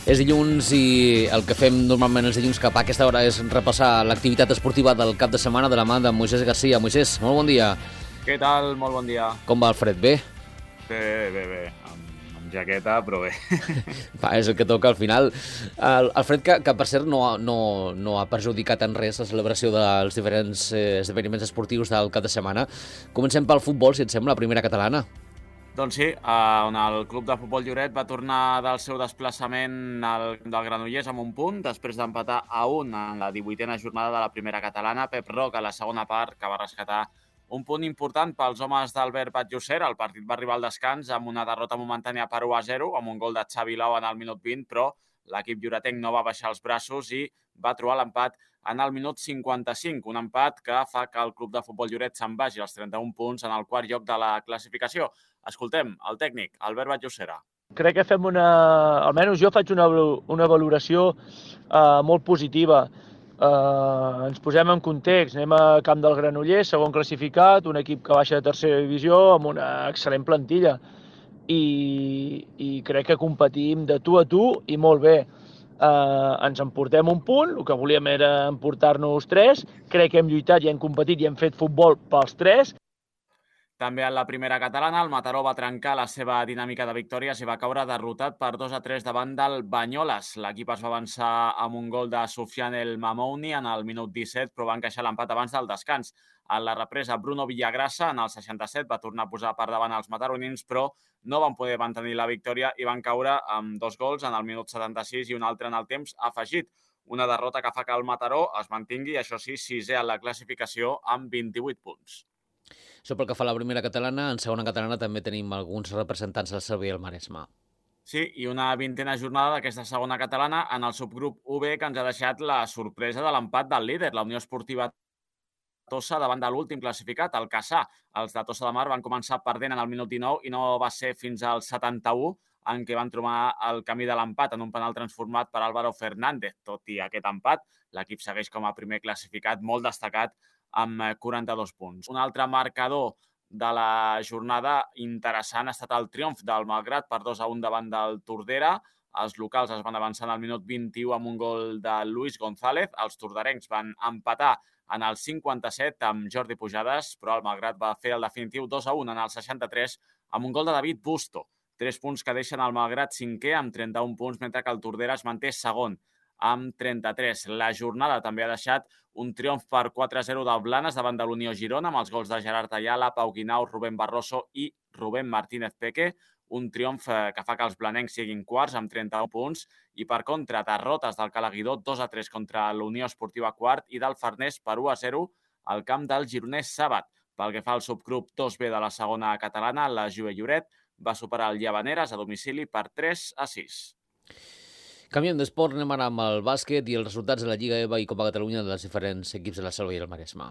És dilluns i el que fem normalment els dilluns cap a aquesta hora és repassar l'activitat esportiva del cap de setmana de la mà de Moisés Garcia. Moisés, molt bon dia. Què tal? Molt bon dia. Com va el fred? Bé? Bé. Amb jaqueta, però bé. Va, és el que toca al final. El fred que per cert, no ha perjudicat en res la celebració dels diferents esdeveniments esportius del cap de setmana. Comencem pel futbol, si et sembla, la primera catalana. Doncs sí, on el club de futbol Lloret va tornar del seu desplaçament del Granollers amb un punt, després d'empatar a 1 en la 18a jornada de la primera catalana. Pep Roc, a la segona part, que va rescatar un punt important pels homes d'Albert Batllosser. El partit va arribar al descans amb una derrota momentània per 1-0, amb un gol de Xavi Lau en el minut 20, però l'equip lloretenc no va baixar els braços i va trobar l'empat en el minut 55, un empat que fa que el club de futbol Lloret se'n vagi als 31 punts en el quart lloc de la classificació. Escoltem el tècnic, Albert Batllosser. Crec que fem almenys jo faig una valoració molt positiva. Ens posem en context, anem a Camp del Granollers, segon classificat, un equip que baixa de tercera divisió amb una excel·lent plantilla. I crec que competim de tu a tu i molt bé. Ens emportem un punt, el que volíem era emportar-nos 3, crec que hem lluitat i hem competit i hem fet futbol pels 3. També en la primera catalana, el Mataró va trencar la seva dinàmica de victòries i va caure derrotat per 2-3 davant del Banyoles. L'equip es va avançar amb un gol de Soufiane El Mamouni en el minut 17, però va encaixar l'empat abans del descans. En la represa, Bruno Villagrasa, en el 67, va tornar a posar per davant els mataronins, però no van poder mantenir la victòria i van caure amb 2 gols en el minut 76 i un altre en el temps afegit. Una derrota que fa que el Mataró es mantingui, això sí, sisè en la classificació amb 28 punts. Això pel que fa a la primera catalana. En segona catalana també tenim alguns representants del Cervell i el Maresme. Sí, i una 20a jornada d'aquesta segona catalana en el subgrup UB, que ens ha deixat la sorpresa de l'empat del líder, la Unió Esportiva Tossa, davant de l'últim classificat, el Cassà. Els de Tossa de Mar van començar perdent en el minut 19 i no va ser fins al 71 en què van trobar el camí de l'empat en un penal transformat per Álvaro Fernández. Tot i aquest empat, l'equip segueix com a primer classificat, molt destacat, amb 42 punts. Un altre marcador de la jornada interessant ha estat el triomf del Malgrat per 2-1 davant del Tordera. Els locals es van avançar en el minut 21 amb un gol de Luis González. Els torderencs van empatar en el 57 amb Jordi Pujades, però el Malgrat va fer el definitiu 2-1 en el 63 amb un gol de David Busto. 3 punts que deixen el Malgrat cinquè amb 31 punts, mentre que el Tordera es manté segon amb 33. La jornada també ha deixat un triomf per 4-0 del Blanes davant de l'Unió Girona, amb els gols de Gerard Ayala, Pau Guinau, Rubén Barroso i Rubén Martínez Peque. Un triomf que fa que els blanencs siguin quarts amb 31 punts i, per contra, derrotes del Calaguidó 2-3 contra l'Unió Esportiva quart i del Farners per 1-0 al camp del Gironès Sàbat. Pel que fa al subgrup 2B de la segona catalana, la Juve Lloret va superar el Llavaneres a domicili per 3-6. Canviem d'esport, anem ara amb el bàsquet i els resultats de la Lliga EVA i Copa Catalunya dels diferents equips de la Selva i el Maresme.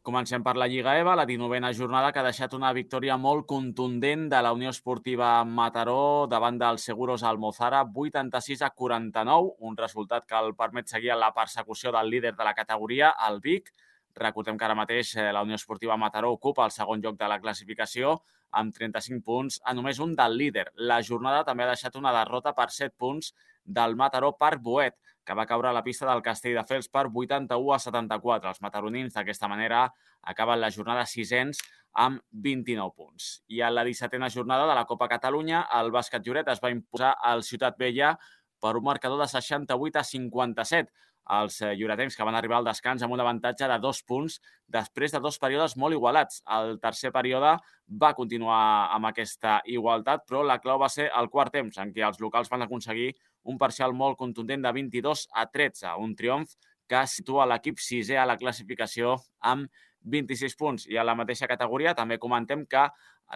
Comencem per la Lliga EVA, la 19a jornada, que ha deixat una victòria molt contundent de la Unió Esportiva Mataró davant del Seguros Almozara, 86-49, un resultat que el permet seguir en la persecució del líder de la categoria, el Vic. Recordem que ara mateix la Unió Esportiva Mataró ocupa el segon lloc de la classificació amb 35 punts a només un del líder. La jornada també ha deixat una derrota per 7 punts del Mataró Parc Boet, que va caure a la pista del Castelldefels per 81-74. Els mataronins, d'aquesta manera, acaben la jornada sisens amb 29 punts. I a la 17a jornada de la Copa Catalunya, el Bàsquet Lloret es va imposar al Ciutat Vella per un marcador de 68-57. Els lloretencs, que van arribar al descans amb un avantatge de 2 punts després de 2 períodes molt igualats. El tercer període va continuar amb aquesta igualtat, però la clau va ser el quart temps, en què els locals van aconseguir un parcial molt contundent de 22-13, un triomf que situa l'equip sisè a la classificació amb 26 punts. I a la mateixa categoria també comentem que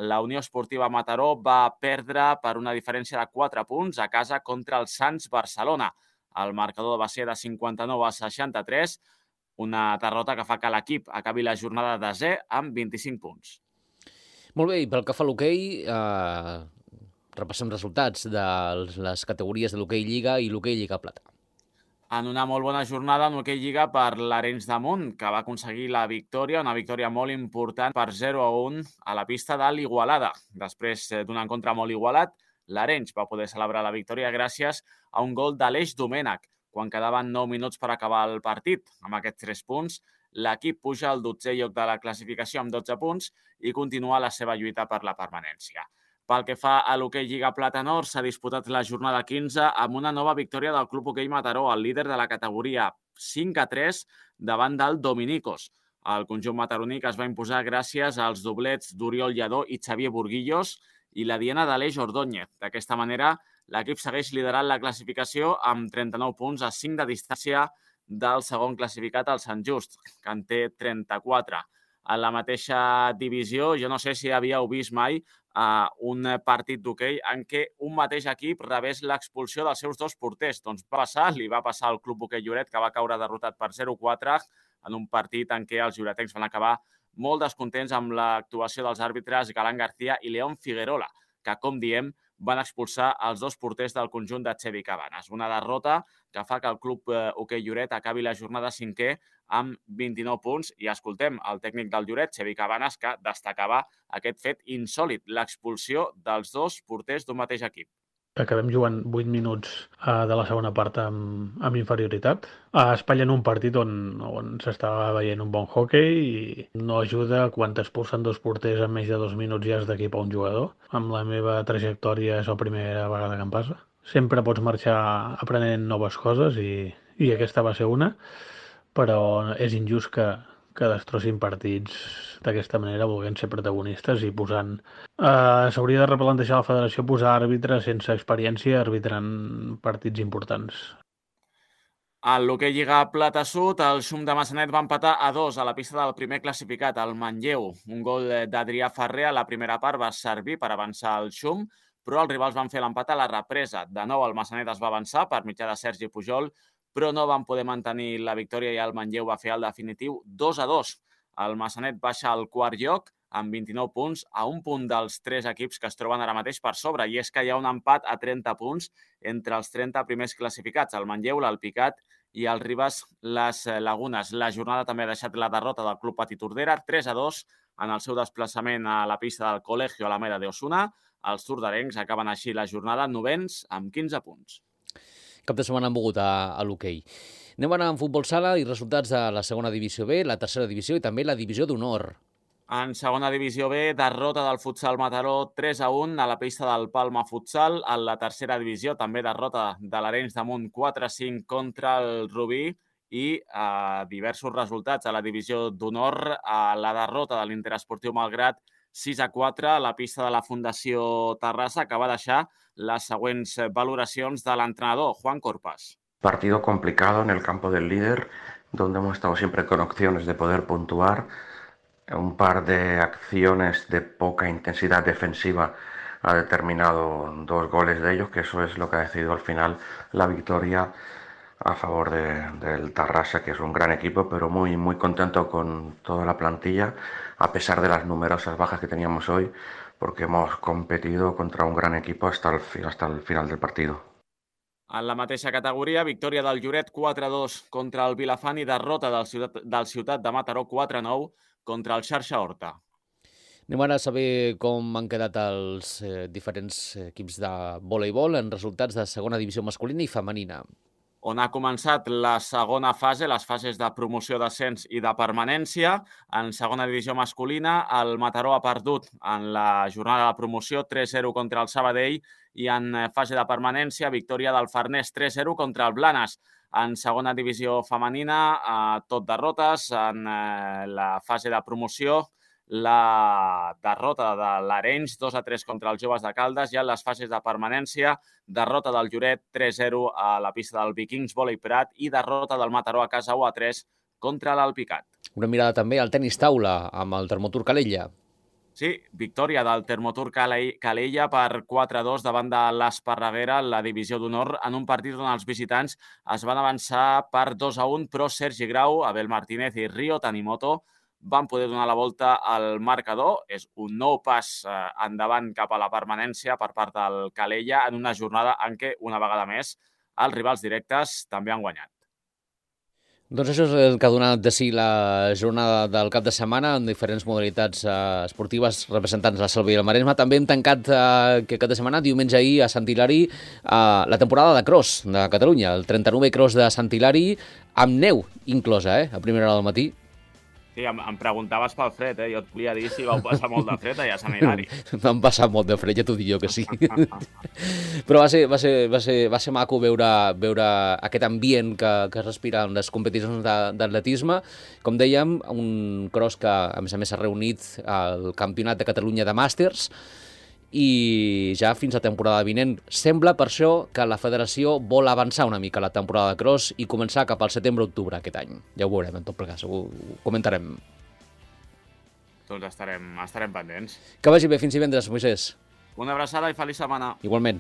la Unió Esportiva Mataró va perdre per una diferència de 4 punts a casa contra el Sants Barcelona. El marcador va ser de 59-63, una derrota que fa que l'equip acabi la jornada de desè amb 25 punts. Molt bé, i pel que fa a l'hoquei, repassem resultats de les categories de l'hoquei Lliga i l'hoquei Lliga Plata. En una molt bona jornada en l'hoquei Lliga per l'Arenys de Munt, que va aconseguir la victòria, una victòria molt important per 0-1 a la pista de l'Igualada. Després d'un encontre molt igualat, l'Arenys va poder celebrar la victòria gràcies a un gol d'Aleix Domènech, quan quedaven 9 minuts per acabar el partit. Amb aquests 3 punts, l'equip puja al 12è lloc de la classificació amb 12 punts i continua la seva lluita per la permanència. Pel que fa a l'hoquei Lliga Plata Nord, s'ha disputat la jornada 15 amb una nova victòria del Club Hoquei Mataró, el líder de la categoria, 5-3 davant del Dominicos. El conjunt mataroní es va imposar gràcies als doblets d'Oriol Lladó i Xavier Burguillos i la diana d'Aleix Ordóñez. D'aquesta manera, l'equip segueix liderant la classificació amb 39 punts a 5 de distància del segon classificat, el Sant Just, que en té 34. En la mateixa divisió, jo no sé si havíeu vist mai un partit d'hoquei en què un mateix equip rebés l'expulsió dels seus 2 porters. Doncs li va passar al Club Hoquei Lloret, que va caure derrotat per 0-4 en un partit en què els lloretencs van acabar molt descontents amb l'actuació dels àrbitres Galán García i León Figuerola, que, com diem, van expulsar els 2 porters del conjunt de Xevi Cabanes. Una derrota que fa que el Club Hoquei Lloret acabi la jornada 5è amb 29 punts. I escoltem el tècnic del Lloret, Xevi Cabanes, que destacava aquest fet insòlit, l'expulsió dels 2 porters d'un mateix equip. Acabem jugant 8 minuts de la segona part amb inferioritat. A Espanya en un partit on s'estava veient un bon hoquei i no ajuda quan t'expulsen 2 porters en menys de 2 minuts i has d'equipar un jugador. Amb la meva trajectòria és la primera vegada que em passa. Sempre pots marxar aprenent noves coses i aquesta va ser una, però és injust que destrossin partits d'aquesta manera, volent ser protagonistes i posant... S'hauria de replantejar la federació posar àrbitres sense experiència arbitrant partits importants. En l'hoquei Lliga Plata Sud, el Xum de Massanet va empatar a 2 a la pista del primer classificat, el Manlleu. Un gol d'Adrià Ferrer a la primera part va servir per avançar el Xum, però els rivals van fer l'empat a la represa. De nou, el Massanet es va avançar per mitjà de Sergi Pujol, però no van poder mantenir la victòria i el Manlleu va fer el definitiu 2-2. El Massanet baixa al quart lloc amb 29 punts, a un punt dels 3 equips que es troben ara mateix per sobre, i és que hi ha un empat a 30 punts entre els 30 primers classificats, el Manlleu, l'Alpicat i el Ribes Les Lagunes. La jornada també ha deixat la derrota del Club Petit Tordera, 3-2, en el seu desplaçament a la pista del Colegio Alameda de Osuna. Els tordarencs acaben així la jornada 9ens amb 15 punts. Cap de setmana han mogut a l'hoquei. Anem a anar en futbol sala i resultats de la segona divisió B, la tercera divisió i també la divisió d'honor. En segona divisió B, derrota del futsal Mataró 3-1 a la pista del Palma Futsal. En la tercera divisió, també derrota de l'Arenys de Munt 4-5 contra el Rubí i diversos resultats a la divisió d'honor. La derrota de l'Interesportiu Malgrat 6-4 a la pista de la Fundació Terrassa, que va deixar les següents valoracions de l'entrenador, Juan Corpas. Partido complicado en el campo del líder, donde hemos estado siempre con opciones de poder puntuar. Un par de acciones de poca intensidad defensiva ha determinado 2 goles de ellos, que eso es lo que ha decidido al final la victoria a favor del Tarrasa, que es un gran equipo, pero muy, muy contento con toda la plantilla, a pesar de las numerosas bajas que teníamos hoy, porque hemos competido contra un gran equipo hasta el final del partido. En la mateixa categoria, victòria del Lloret 4-2 contra el Vilafant i derrota del Ciutat de Mataró 4-9 contra el Xarxa Horta. Anem ara a saber com han quedat els diferents equips de voleibol en resultats de segona divisió masculina i femenina. On ha començat la segona fase, les fases de promoció, d'ascens i de permanència. En segona divisió masculina, el Mataró ha perdut en la jornada de promoció 3-0 contra el Sabadell i en fase de permanència, victòria del Farners 3-0 contra el Blanes. En segona divisió femenina, tot derrotes. En la fase de promoció, la derrota de l'Arenys 2-3 contra els Joves de Caldes, i en les fases de permanència, derrota del Lloret 3-0 a la pista del Vikings Vòlei Prat i derrota del Mataró a casa 1-3 contra l'Alpicat. Una mirada també al tenis taula amb el Termotur Calella. Sí, victòria del Termotur Calella per 4-2 davant de l'Esparreguera en la divisió d'honor, en un partit on els visitants es van avançar per 2-1, però Sergi Grau, Abel Martínez i Rio Tanimoto van poder donar la volta al marcador. És un nou pas endavant cap a la permanència per part del Calella en una jornada en què, una vegada més, els rivals directes també han guanyat. Doncs això és el que ha donat de si la jornada del cap de setmana en diferents modalitats esportives representants de la Selva i el Maresme. També hem tancat aquest cap de setmana, diumenge ahir, a Sant Hilari, la temporada de cross de Catalunya, el 39è cross de Sant Hilari, amb neu inclosa, a primera hora del matí. Sí, em preguntaves pel fred, Jo et volia dir si vau passar molt de fred allà a Sant Hilari. Vam passar molt de fred, ja t'ho dic jo que sí. Però va ser maco veure aquest ambient que es respira en les competicions d'atletisme. Com dèiem, un cross que, a més, s'ha reunit al Campionat de Catalunya de Màsters, i ja fins a temporada vinent. Sembla per això que la federació vol avançar una mica la temporada de cross i començar cap al setembre-octubre aquest any. Ja ho veurem, en tot plegat, ho comentarem. Doncs estarem pendents. Que vagi bé, fins divendres, Moisès. Una abraçada i feliç setmana. Igualment.